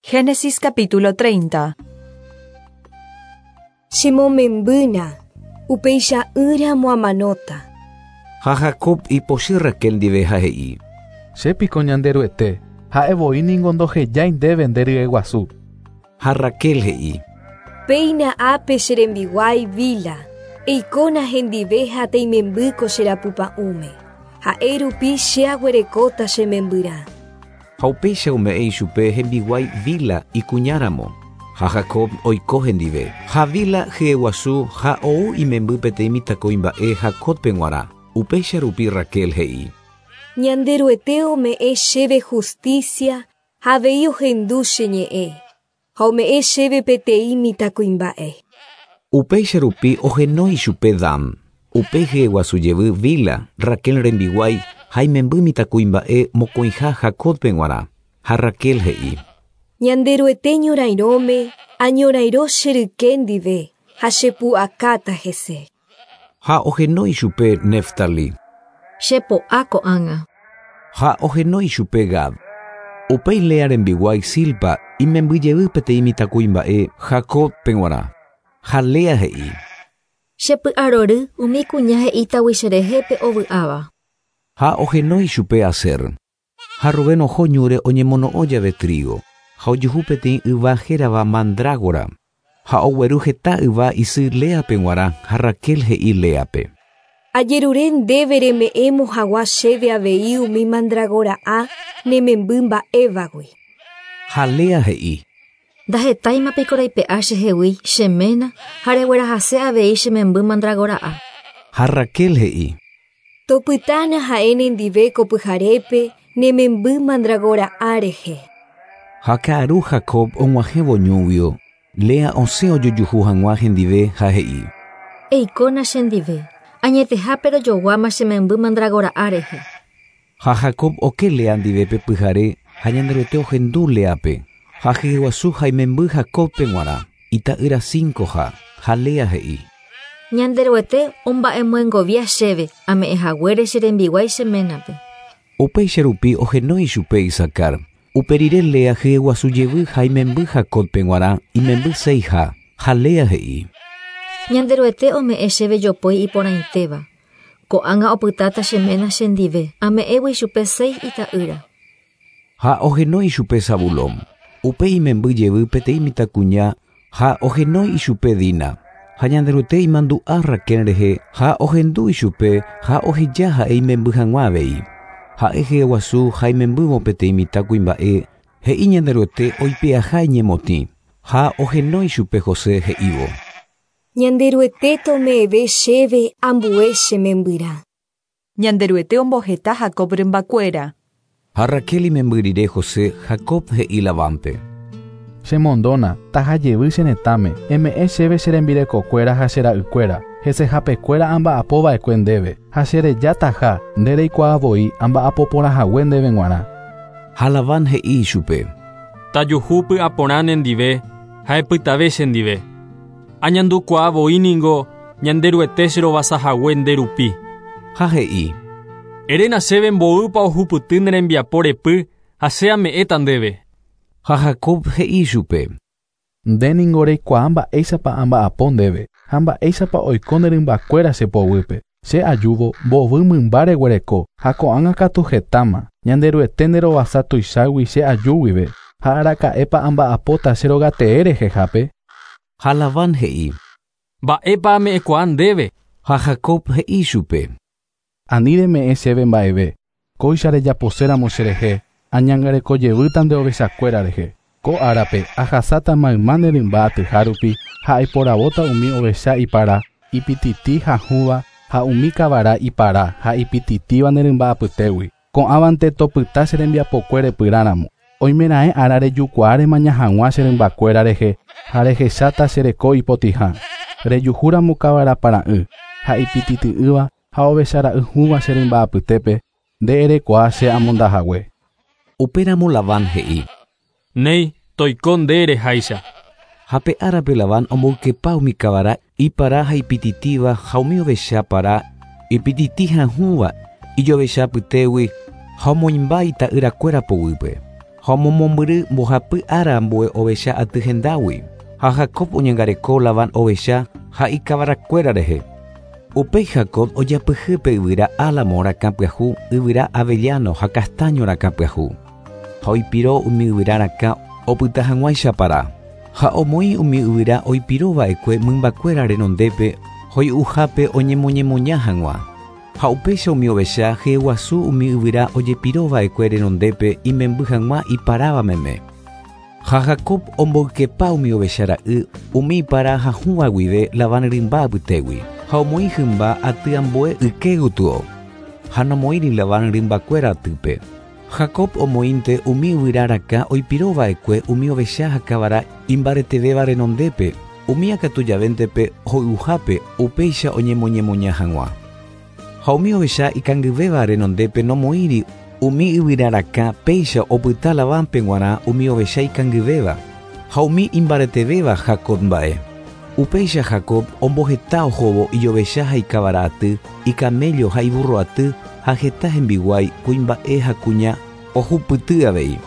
Génesis capítulo 30. Chemomembýna, upeicha'ỹramo amanóta. Ha Jacob ipochy Raquel ndive ha he'i. Che piko Ñanderuete, ha'e voi ningo ndohejái ndéve nde ryeguasu. Ha Raquel he'i. Péina ápe che rembiguái Bila, eikóna hendive ha teimemby ko che rapypa'ũme. Ha'e rupi che aguerekóta che membyrã. Ha upéicha ome'ẽ ichupe hembiguái Bila ikuñáramo, ha Jacob oiko hendive. Ha Bila hyeguasu ha ou imemby peteĩ mitãkuimba'e Jacóbpe g̃uarã. Upéicha rupi Raquel he'i. Ñanderuete ome'ẽ chéve hustísia ha avei ohendu che ñe'ẽ, ha ome'ẽ chéve peteĩ mitãkuimba'e. Upéicha rupi ohenói ichupe Dan. Upéi hyeguasu jevy Bila, Raquel rembiguái, ha imemby mitãkuimba'e mokõiha Jacóbpe g̃uarã. Ha Raquel he'i. Ñanderuete ñorairõme añorairõ che ryke ndive ha chepu'akáta hese. Ha ohenói chupe Neftali. Che po'a ko'ág̃a. Ha ohenói chupe Gad. Upéi Lea rembiguái Zilpa imemby jevy peteĩ mitãkuimba'e Jacóbpe g̃uarã. Ha Lea he'i. Che py'arory umi kuña he'ítagui cherehe pe ovy'áva. Ha ohenói chupe Aser. Ha Rubén oho ñúre oñemono'õ jave trígo, ha ojuhu peteĩ yva hérava mandrágora, ha ogueru heta yva isy Léape g̃uarã ha Raquel he'i Léape. Ajerure ndéve reme'ẽmo hag̃ua chéve avei umi mandragora'a ne memby mba'évagui. Ha Lea he'i. Ndahetáima piko reipe'a chehegui che ména ha reguerahase avei che memby mandragora'a. Ha Raquel he'i. Topytána ha'e nendive ko pyharépe ne memby mandragora'a rehe. Ha ka'aru Jacob og̃uahẽvo ñúguio, Lea osẽ ojojuhu hag̃ua hendive ha he'i. Eikóna chendive, añetehápe rojoguáma che memby mandragora'a rehe. Ha Jacob oke Lea ndive pe pyhare ha Ñanderuete ohendu Léape, ha hyeguasu ha imemby Jacóbpe g̃uarã, ita'ýra cincoha, ha Lea he'i. Ñanderuete omba'emyengovia chéve ame'ẽhaguére che rembiguái che ménape. Upéicha rupi ohenói chupe Isacar. Upe rire Lea hyeguasu jevy ha imemby Jacóbpe g̃uarã, imemby seiha, ha Lea he'i. Ñanderuete ome'ẽ chéve jopói iporãitéva. Ko'ág̃a opytáta che ména chendive, ame'ẽgui chupe seis ita'ýra. Ha ohenói chupe Zabulón. Upéi imemby jevy peteĩ mitãkuña ha ohenói ichupe Dina. Ha Ñanderuete imandu'a Raquel rehe ha ohendu ichupe ha oheja ha'e imemby hag̃ua avei. Ha'e hyeguasu ha imembývo peteĩ mitãkuimba'e, he'i Ñanderuete oipe'aha iñemotĩ, ha ohenói chupe José he'ívo. Ñanderuete tome'ẽve chéve ambue che membyrã. Ñanderuete omboheta Jacob rymbakuéra. Ha Raquel imemby rire José, Jacob he'i Labánpe. Chemondóna, taha jevy che retãme, eme'ẽ chéve che rembirekokuéra ha che ra'ykuéra, hesehapekuéra amba'apova'ekue ndéve, ha chereja taha, nde reikuaa voi amba'apoporãhague ndéve g̃uarã. Ha Labán he'i ichupe. Tajuhu py'aporã nendive ha epytave chendive. Añandukuaa voi ningo Ñanderuete cherovasahague nde rupi. Ha he'i. Eréna chéve mboýpa ohupyty ne rembiapo repy ha che ame'ẽta ndéve. Ha Jacob he'i chupe. Nde ningo reikuaa mba'éichapa amba'apo ndéve ha mba'éichapa oiko ne rymbakuéra che poguýpe. Che ajúvo mbovy mymba reguereko ha ko'ág̃a katu hetáma. Ñanderuete nderovasa tuichágui che aju guive ha araka'épa amba'apóta che rogatee rehehápe. Ha Labán he'i. Mba'épa ame'ẽkuaa ndéve. Ha Jacob he'i chupe. Ani reme'ẽ chéve mba'eve. Kóicha rejaposéramo cherehe, añangareko jevýta nde ovechakuéra rehe. Ko árape ahasáta mayma ne rymba atyha rupi ha aiporavóta umi ovecha ipara, ipititi ha hũva ha umi kavara ipara ha ipititíva ne rymba apytégui. Ko'ãvante topyta che rembiapokue repyrãramo. Oimeraẽ ára rejukuaa remaña hag̃ua che rymbakuéra rehe ha rehecháta che reko ipotĩha. Rejuhúramo kavara para'ỹ ha ipitity'ỹva ha ovechara'y hũva che rymba apytépe, nde erekuaa che amondahague. Upéramo Labán he'i. Néi, toiko nde ereháicha. Ha pe árape Labán omboykepa umi kavara ipara ha ipititíva ha umi ovecha para ipititi ha hũva ijovecha apytégui ha omoĩmba ita'yrakuéra poguýpe. Ha omomombyry mbohapy ára ambue ovecha aty hendágui. Ha Jacob oñangareko Labán ovecha ha ikavarakuéra rehe. Upéi Jacob ojapyhy pe yvyra álamo rakã pyahu, yvyra avellano ha castaño rakã pyahu. Ha oipiro umi yvyra rakã opyta hag̃uáicha para. Ha omoĩ umi yvyra oipiro va'ekue mymbakuéra renondépe hoy'uhápe oñemoñemoña hag̃ua. Ha upéicha umi ovecha hyeguasu umi yvyra ojepiro va'ekue renondépe imemby hag̃ua iparáva meme. Ha Jacob omboykepa umi ovecha ra'y umi ipara ha hũva guive Labán rymba apytégui, ha omoĩ hymba aty ambue yke gotyo, ha nomoĩri Labán rymbakuéra atýpe. Jacob omoĩnte umi yvyra rakã oipiro va'ekue umi ovecha ha kavara imbaretevéva renondépe, umía katu javéntepe hoy'uhápe upéicha oñemoñemoña hag̃ua. Ha umi ovecha ikangyvéva renondépe nomoĩri umi yvyra rakã péicha opyta Labánpe g̃uarã umi ovecha ikangyvéva, ha umi imbaretevéva Jacob mba'e. Upéicha Jacob omboheta ohóvo ijovecha ha ikavara aty, ikaméllo ha iburro aty, ha heta hembiguái kuimba'e ha kuña ohupyty avei.